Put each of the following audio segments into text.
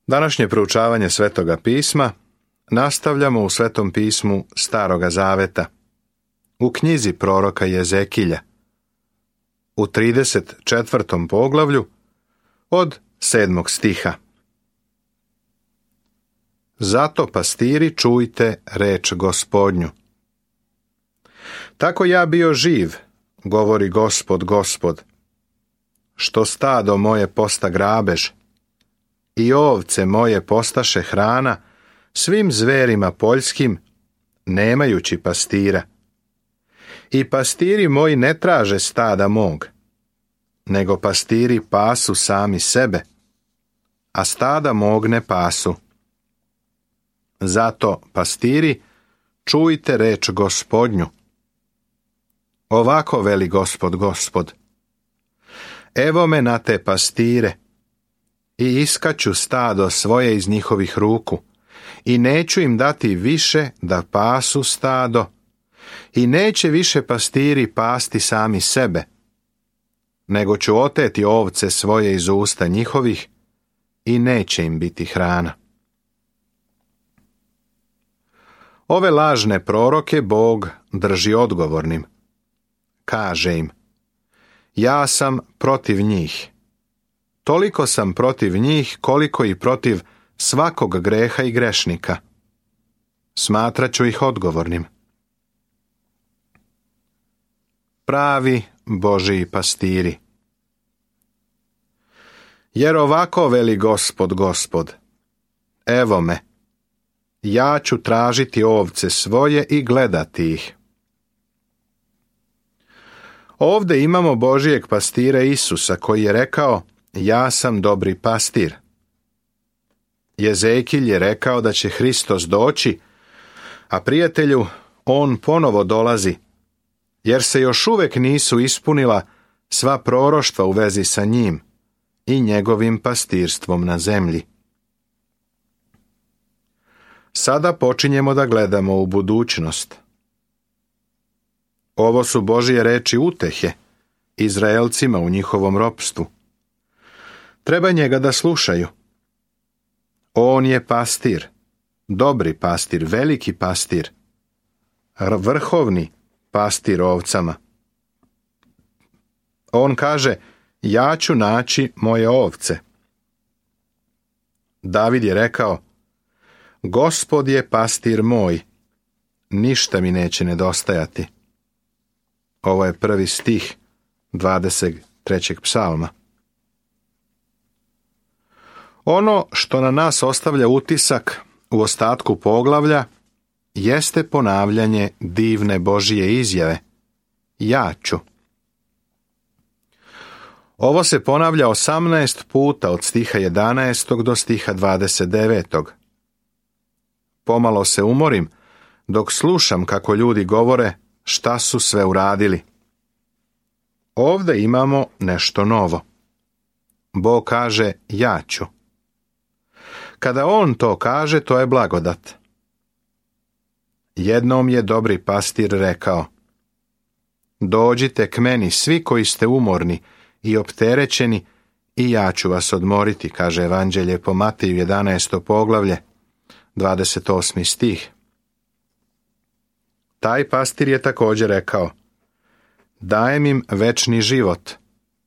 Današnje proučavanje Svetoga pisma nastavljamo u Svetom pismu Staroga zaveta, u knjizi proroka Jezekilja, u 34. poglavlju od 7. stiha. Zato, pastiri, čujte reč Gospodnju. Tako ja bio živ, govori Gospod, Gospod, što stado moje posta grabež, i ovce moje postaše hrana svim zverima poljskim, nemajući pastira. I pastiri moji ne traže stada mog, nego pastiri pasu sami sebe, a stada mog ne pasu. Zato, pastiri, čujte reč Gospodnju. Ovako veli Gospod, Gospod. Evo me na te pastire, i iskaću stado svoje iz njihovih ruku, i neću im dati više da pasu stado, i neće više pastiri pasti sami sebe, nego ću oteti ovce svoje iz usta njihovih, i neće im biti hrana. Ove lažne proroke Bog drži odgovornim. Kaže im, ja sam protiv njih. Toliko sam protiv njih koliko i protiv svakog greha i grešnika. Smatraću ih odgovornim. Pravi Božiji pastiri. Jer ovako veli Gospod, Gospod, evo me, ja ću tražiti ovce svoje i gledati ih. Ovdje imamo Božijeg pastira Isusa koji je rekao, ja sam dobri pastir. Jezekilj je rekao da će Hristos doći, a prijatelju, on ponovo dolazi, jer se još uvijek nisu ispunila sva proroštva u vezi sa njim i njegovim pastirstvom na zemlji. Sada počinjemo da gledamo u budućnost. Ovo su Božije reči utehe Izraelcima u njihovom ropstvu. Treba njega da slušaju. On je pastir, dobri pastir, veliki pastir, vrhovni pastir ovcama. On kaže, ja ću naći moje ovce. David je rekao, Gospod je pastir moj, ništa mi neće nedostajati. Ovo je 1. stih 23. psalma. Ono što na nas ostavlja utisak u ostatku poglavlja jeste ponavljanje divne Božije izjave, ja ću. Ovo se ponavlja 18 puta od stiha 11. do stiha 29. Pomalo se umorim dok slušam kako ljudi govore šta su sve uradili. Ovdje imamo nešto novo. Bog kaže ja ću. Kada on to kaže, to je blagodat. Jednom je dobri pastir rekao, dođite k meni svi koji ste umorni i opterećeni i ja ću vas odmoriti, kaže Evanđelje po Mateju 11. poglavlje, 28. stih. Taj pastir je također rekao, dajem im večni život,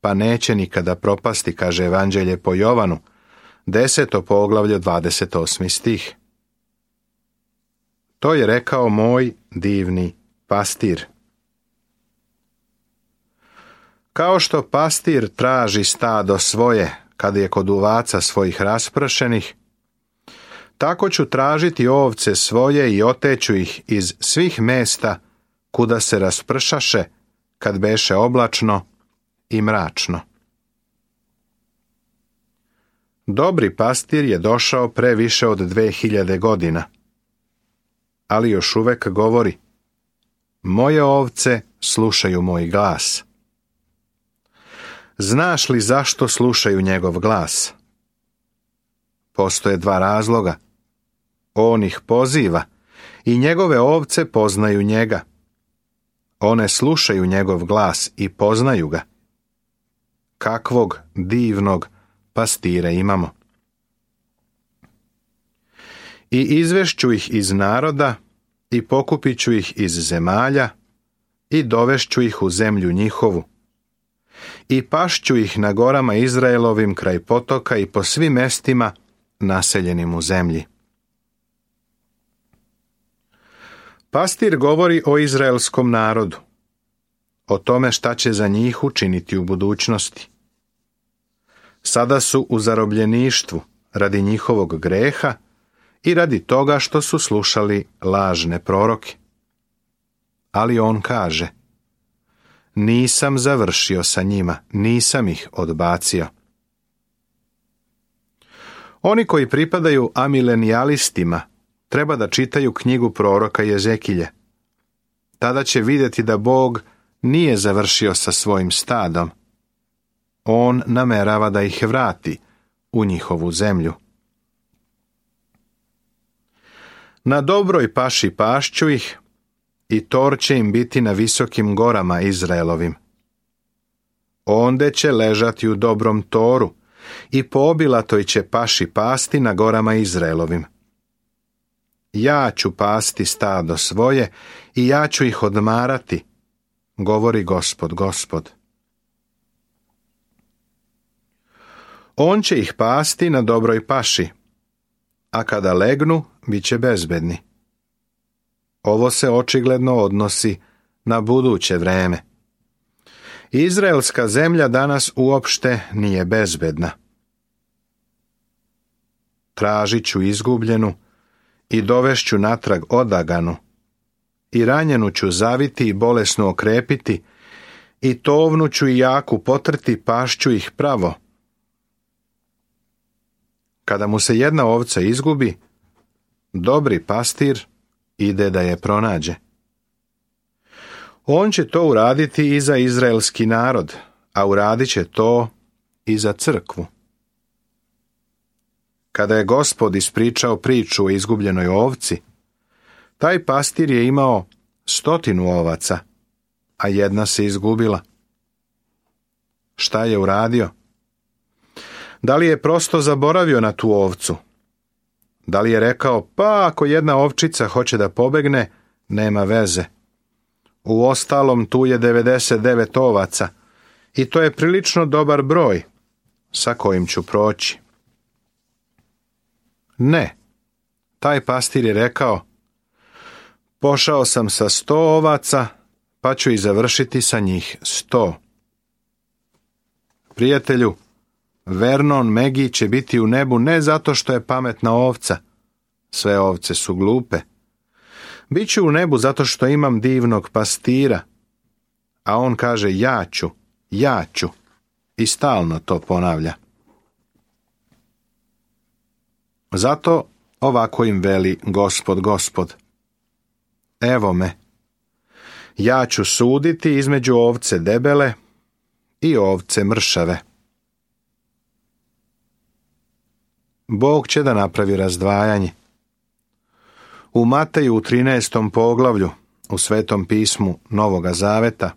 pa neće nikada propasti, kaže Evanđelje po Jovanu, 10. poglavlje, 28. stih. To je rekao moj divni pastir. Kao što pastir traži stado svoje kad je kod ovaca svojih raspršenih, tako ću tražiti ovce svoje i oteću ih iz svih mesta kuda se raspršaše kad beše oblačno i mračno. Dobri pastir je došao pre više od 2000 godina, ali još uvek govori, moje ovce slušaju moj glas. Znaš li zašto slušaju njegov glas? Postoje dva razloga. On ih poziva i njegove ovce poznaju njega. One slušaju njegov glas i poznaju ga. Kakvog divnog pastira imamo. I izvešću ih iz naroda i pokupit ću ih iz zemalja i dovešću ih u zemlju njihovu. I pašću ih na gorama Izraelovim kraj potoka i po svim mestima naseljenim u zemlji. Pastir govori o izraelskom narodu, o tome šta će za njih učiniti u budućnosti. Sada su u zarobljeništvu radi njihovog greha i radi toga što su slušali lažne proroke. Ali on kaže: nisam završio sa njima, nisam ih odbacio. Oni koji pripadaju amilenijalistima treba da čitaju knjigu proroka Jezekilje. Tada će vidjeti da Bog nije završio sa svojim stadom. On namerava da ih vrati u njihovu zemlju. Na dobroj paši pašću ih i tor će im biti na visokim gorama Izraelovim. Onde će ležati u dobrom toru i po obilatoj će paši pasti na gorama Izraelovim. Ja ću pasti stado svoje i ja ću ih odmarati, govori Gospod, Gospod. On će ih pasti na dobroj paši, a kada legnu, bit će bezbedni. Ovo se očigledno odnosi na buduće vreme. Izraelska zemlja danas uopšte nije bezbedna. Tražit ću izgubljenu i dovešću natrag odaganu, i ranjenu ću zaviti i bolesno okrepiti, i tovnu ću i jaku potrti, pašću ih pravo. Kada mu se jedna ovca izgubi, dobri pastir ide da je pronađe. On će to uraditi i za izraelski narod, a uradit će to i za crkvu. Kada je Gospod ispričao priču o izgubljenoj ovci, taj pastir je imao 100 ovaca, a jedna se izgubila. Šta je uradio? Da li je prosto zaboravio na tu ovcu? Da li je rekao, pa ako jedna ovčica hoće da pobegne, nema veze. Uostalom tu je 99 ovaca i to je prilično dobar broj sa kojim ću proći. Ne, taj pastir je rekao, pošao sam sa 100 ovaca, pa ću i završiti sa njih 100. Prijatelju, Vernon Megi će biti u nebu ne zato što je pametna ovca, sve ovce su glupe. Biću u nebu zato što imam divnog pastira, a on kaže ja ću i stalno to ponavlja. Zato ovako im veli Gospod, Gospod. Evo me, ja ću suditi između ovce debele i ovce mršave. Bog će da napravi razdvajanje. U Mateju u 13. poglavlju, u Svetom pismu Novoga Zaveta,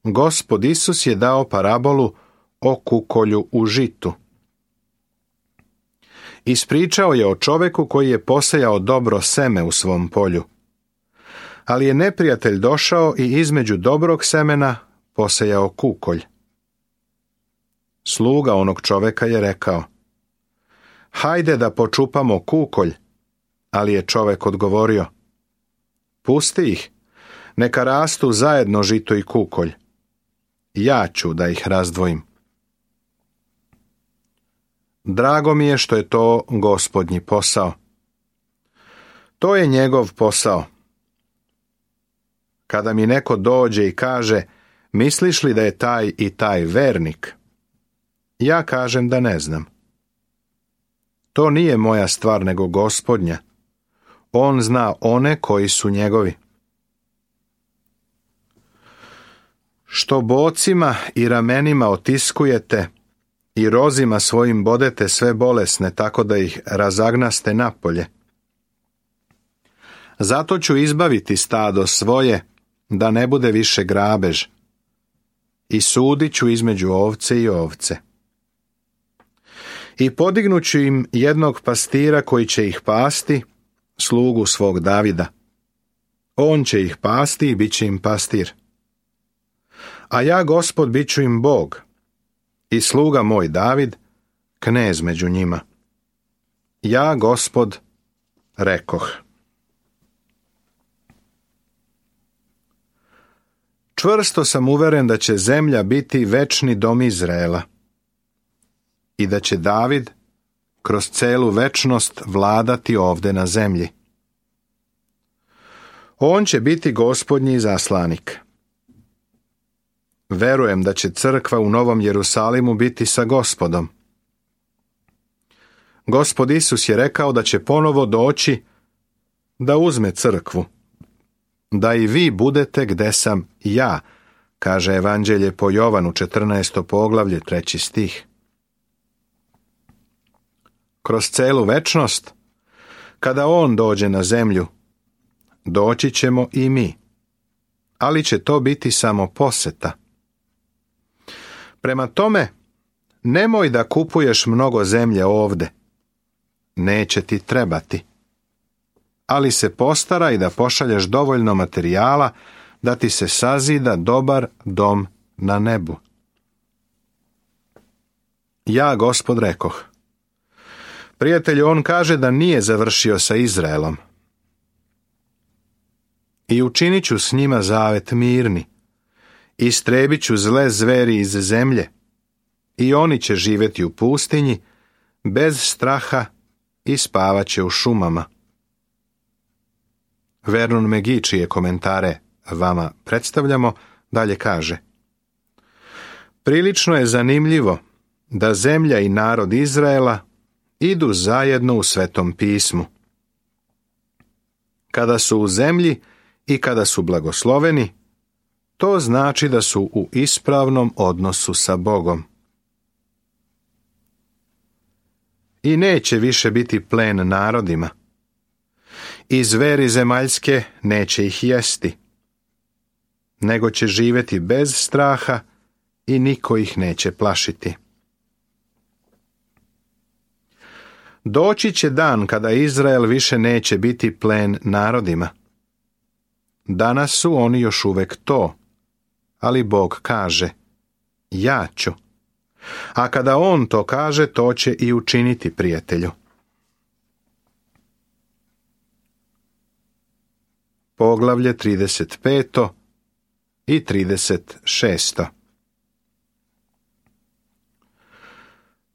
Gospod Isus je dao parabolu o kukolju u žitu. Ispričao je o čoveku koji je posejao dobro seme u svom polju, ali je neprijatelj došao i između dobrog semena posejao kukolj. Sluga onog čoveka je rekao, hajde da počupamo kukolj, ali je čovek odgovorio, pusti ih, neka rastu zajedno žito i kukolj, ja ću da ih razdvojim. Drago mi je što je to Gospodnji posao. To je njegov posao. Kada mi neko dođe i kaže, misliš li da je taj i taj vernik? Ja kažem da ne znam. To nije moja stvar nego Gospodnja. On zna one koji su njegovi. Što bocima i ramenima otiskujete i rozima svojim bodete sve bolesne tako da ih razagnaste napolje. Zato ću izbaviti stado svoje da ne bude više grabež i sudit ću između ovce i ovce. I podignuću im jednog pastira koji će ih pasti, slugu svog Davida. On će ih pasti i bit će im pastir. A ja, Gospod, bit ću im Bog, i sluga moj David, knez među njima. Ja, Gospod, rekoh. Čvrsto sam uveren da će zemlja biti večni dom Izraela i da će David kroz celu večnost vladati ovde na zemlji. On će biti Gospodnji zaslanik. Verujem da će crkva u Novom Jerusalimu biti sa Gospodom. Gospod Isus je rekao da će ponovo doći da uzme crkvu, da i vi budete gde sam ja, kaže Evanđelje po Jovanu 14. poglavlje 3. stih. Kroz celu večnost, kada on dođe na zemlju, doći ćemo i mi, ali će to biti samo poseta. Prema tome, nemoj da kupuješ mnogo zemlje ovde, neće ti trebati, ali se postaraj da pošalješ dovoljno materijala da ti se sazida dobar dom na nebu. Ja, Gospod, rekoh. Prijatelju, on kaže da nije završio sa Izraelom. I učinit ću s njima zavet mirni, istrebit ću zle zveri iz zemlje, i oni će živjeti u pustinji, bez straha, i spavat će u šumama. Vernon McGee, čije komentare vama predstavljamo, dalje kaže: prilično je zanimljivo da zemlja i narod Izraela idu zajedno u Svetom pismu. Kada su u zemlji i kada su blagosloveni, to znači da su u ispravnom odnosu sa Bogom. I neće više biti plen narodima. I zveri zemaljske neće ih jesti, nego će živjeti bez straha i niko ih neće plašiti. Doći će dan kada Izrael više neće biti plen narodima. Danas su oni još uvek to, ali Bog kaže: ja ću. A kada on to kaže, to će i učiniti, prijatelju. Poglavlje 35. i 36.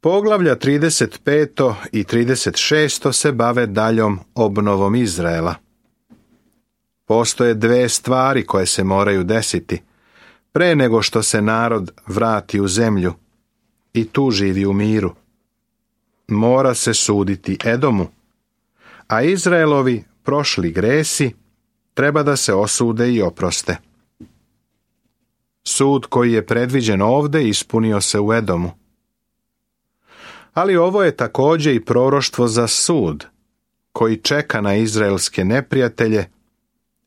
Poglavlja 35. i 36. se bave daljom obnovom Izraela. Postoje dve stvari koje se moraju desiti pre nego što se narod vrati u zemlju i tu živi u miru. Mora se suditi Edomu, a Izraelovi prošli gresi treba da se osude i oproste. Sud koji je predviđen ovde ispunio se u Edomu. Ali ovo je također i proroštvo za sud koji čeka na izraelske neprijatelje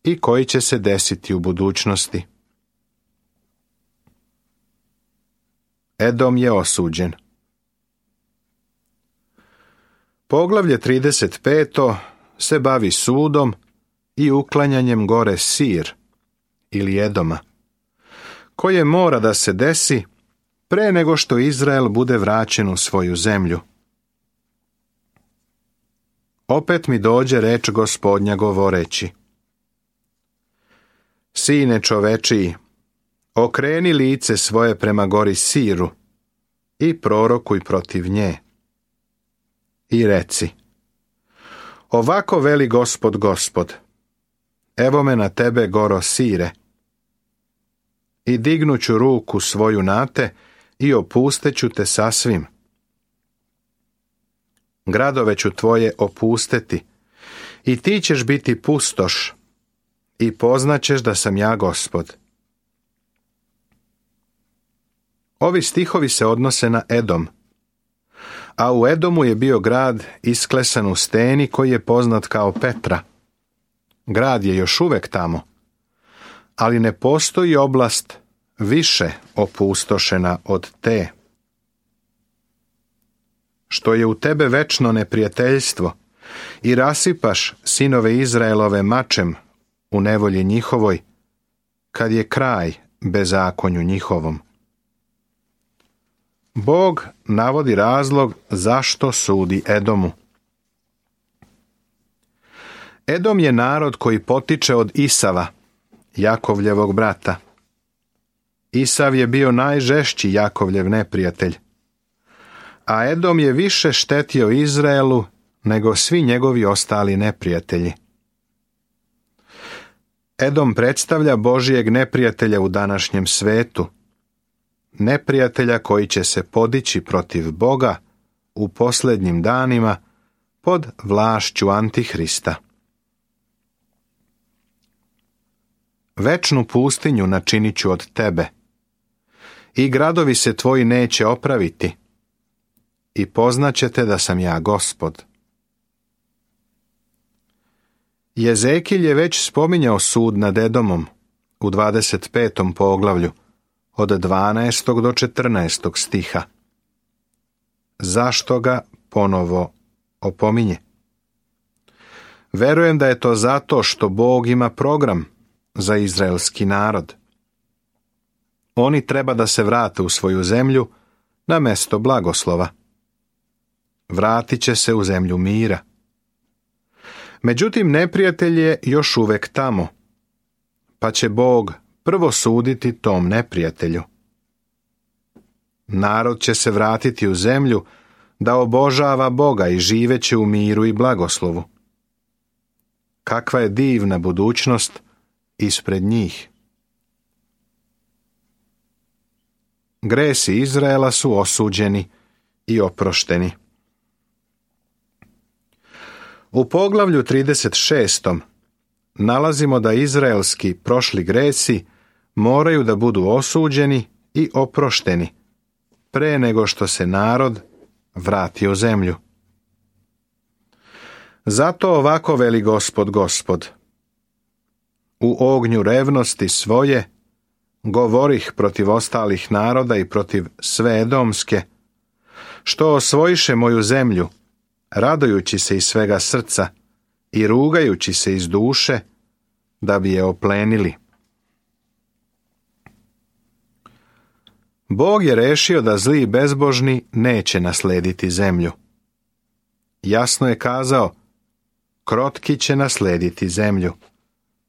i koji će se desiti u budućnosti. Edom je osuđen. Poglavlje 35. se bavi sudom i uklanjanjem gore Sir ili Edoma, koje mora da se desi pre nego što Izrael bude vraćen u svoju zemlju. Opet mi dođe reč Gospodnja govoreći: Sine čovečiji, okreni lice svoje prema gori Siru i prorokuj protiv nje. I reci: ovako veli Gospod, Gospod, evo me na tebe, goro Sire, i dignuću ruku svoju na te i opusteću te sasvim. Gradove ću tvoje opusteti i ti ćeš biti pustoš i poznaćeš da sam ja Gospod. Ovi stihovi se odnose na Edom, a u Edomu je bio grad isklesan u steni koji je poznat kao Petra. Grad je još uvek tamo, ali ne postoji oblast više opustošena od te. što je u tebe večno neprijateljstvo i rasipaš sinove Izraelove mačem u nevolji njihovoj, kad je kraj bezakonju njihovom. Bog navodi razlog zašto sudi Edomu. Edom je narod koji potiče od Isava, Jakovljevog brata. Isav je bio najžešći Jakovljev neprijatelj, a Edom je više štetio Izraelu nego svi njegovi ostali neprijatelji. Edom predstavlja Božijeg neprijatelja u današnjem svetu, neprijatelja koji će se podići protiv Boga u posljednjim danima pod vlašću Antihrista. Večnu pustinju načinit ću od tebe, i gradovi se tvoji neće opraviti, i poznaćete da sam ja Gospod. Jezekilj je već spominjao sud nad Edomom u 25. poglavlju, od 12. do 14. stiha. Zašto ga ponovo opominje? Verujem da je to zato što Bog ima program za izraelski narod. Oni treba da se vrate u svoju zemlju na mesto blagoslova. Vratit će se u zemlju mira. Međutim, neprijatelj je još uvek tamo, pa će Bog prvo suditi tom neprijatelju. Narod će se vratiti u zemlju da obožava Boga i živeće u miru i blagoslovu. Kakva je divna budućnost ispred njih. Gresi Izraela su osuđeni i oprošteni. U poglavlju 36. nalazimo da izraelski prošli gresi moraju da budu osuđeni i oprošteni pre nego što se narod vrati u zemlju. Zato ovako veli Gospod Gospod: u ognju revnosti svoje govorih protiv ostalih naroda i protiv sve edomske, što osvojiše moju zemlju, radujući se iz svega srca i rugajući se iz duše, da bi je oplenili. Bog je rešio da zli i bezbožni neće naslediti zemlju. Jasno je kazao: krotki će naslediti zemlju.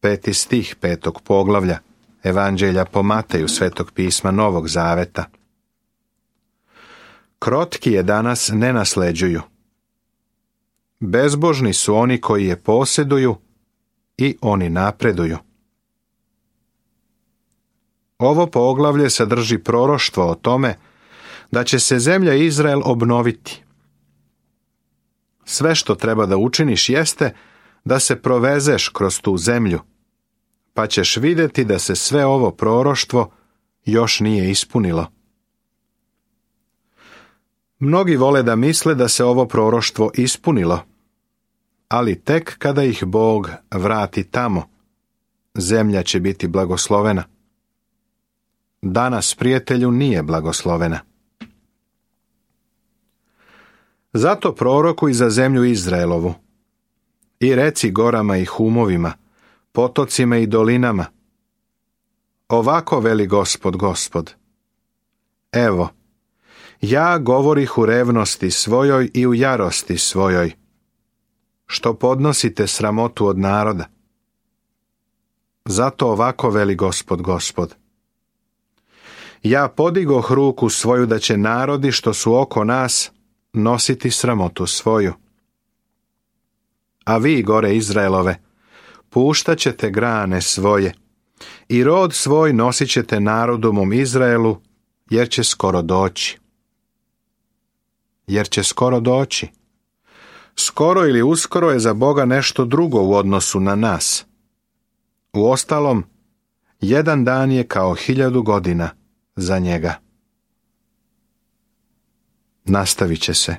5. stih 5. poglavlja Evanđelja po Mateju, Svetog pisma Novog Zaveta. Krotki je danas ne nasleđuju. Bezbožni su oni koji je posjeduju i oni napreduju. Ovo poglavlje sadrži proroštvo o tome da će se zemlja Izrael obnoviti. Sve što treba da učiniš jeste da se provezeš kroz tu zemlju, pa ćeš vidjeti da se sve ovo proroštvo još nije ispunilo. Mnogi vole da misle da se ovo proroštvo ispunilo, ali tek kada ih Bog vrati tamo, zemlja će biti blagoslovena. Danas, prijatelju, nije blagoslovena. Zato prorokuj za zemlju Izraelovu i reci gorama i humovima, potocima i dolinama: ovako veli Gospod Gospod: evo, ja govorih u revnosti svojoj i u jarosti svojoj, što podnosite sramotu od naroda. Zato ovako veli Gospod Gospod: ja podigoh ruku svoju da će narodi što su oko nas nositi sramotu svoju. A vi, gore Izraelove, puštat ćete grane svoje i rod svoj nosit ćete narodu mom Izraelu, jer će skoro doći. Jer će skoro doći. Skoro ili uskoro je za Boga nešto drugo u odnosu na nas. Uostalom, jedan dan je kao 1000 godina za njega. Nastavit će se.